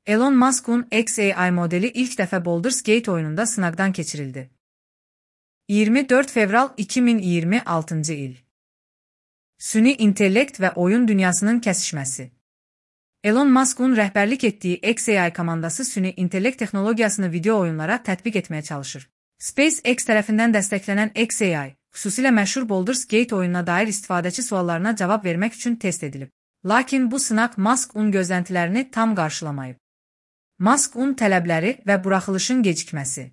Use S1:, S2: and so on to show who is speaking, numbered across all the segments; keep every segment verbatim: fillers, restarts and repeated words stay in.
S1: Elon Musk'un X A I modeli ilk dəfə Baldur's Gate oyununda sınaqdan keçirildi. iyirmi dörd fevral iki min iyirmi altıncı il. Süni intellekt və oyun dünyasının kəsişməsi. Elon Musk'un rəhbərlik etdiyi X A I komandası süni intellekt texnologiyasını video oyunlara tətbiq etməyə çalışır. SpaceX tərəfindən dəstəklənən X A I, xüsusilə məşhur Baldur's Gate oyununa dair istifadəçi suallarına cavab vermək üçün test edilib. Lakin bu sınaq Musk'un gözləntilərini tam qarşılamayıb. Musk'un tələbləri və buraxılışın gecikməsi.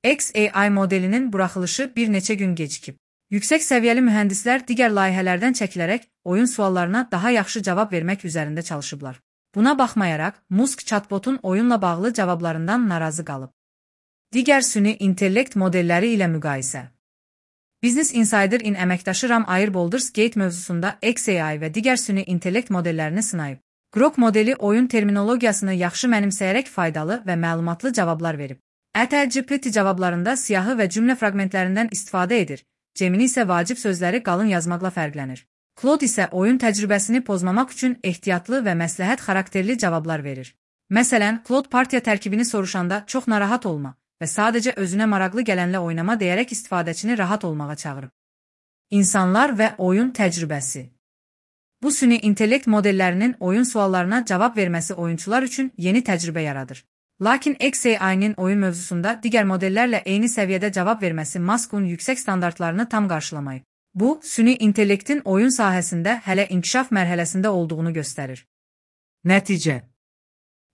S1: X A I modelinin buraxılışı bir neçə gün gecikib. Yüksək səviyyəli mühəndislər digər layihələrdən çəkilərək oyun suallarına daha yaxşı cavab vermək üzərində çalışıblar. Buna baxmayaraq, Musk chatbotun oyunla bağlı cavablarından narazı qalıb. Digər süni intellekt modelləri ilə müqayisə. Business Insider-in əməkdaşı Ram Ayer Baldur's Gate mövzusunda X A I və digər süni intellekt modellərini sınayıb. Grok modeli oyun terminologiyasını yaxşı mənimsəyərək faydalı və məlumatlı cavablar verib. ChatGPT cavablarında siyahı və cümlə fraqmentlərindən istifadə edir, Gemini isə vacib sözləri qalın yazmaqla fərqlənir. Claude isə oyun təcrübəsini pozmamaq üçün ehtiyatlı və məsləhət xarakterli cavablar verir. Məsələn, Claude partiya tərkibini soruşanda çox narahat olma və sadəcə özünə maraqlı gələnlə oynama deyərək istifadəçini rahat olmağa çağırıb. İnsanlar və oyun təcrübəsi. Bu süni intellekt modellərinin oyun suallarına cavab verməsi oyunçular üçün yeni təcrübə yaradır. Lakin X A I-nin oyun mövzusunda digər modellərlə eyni səviyyədə cavab verməsi Musk'un yüksək standartlarını tam qarşılamayıb. Bu, süni intellektin oyun sahəsində hələ inkişaf mərhələsində olduğunu göstərir. Nəticə.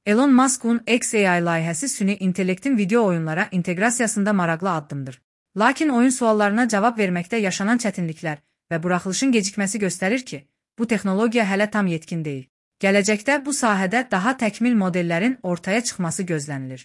S1: Elon Musk'un X A I layihəsi süni intellektin video oyunlara inteqrasiyasında maraqlı addımdır. Lakin oyun suallarına cavab verməkdə yaşanan çətinliklər və buraxılışın gecikməsi göstərir ki, bu texnologiya hələ tam yetkin deyil. Gələcəkdə bu sahədə daha təkmil modellərin ortaya çıxması gözlənilir.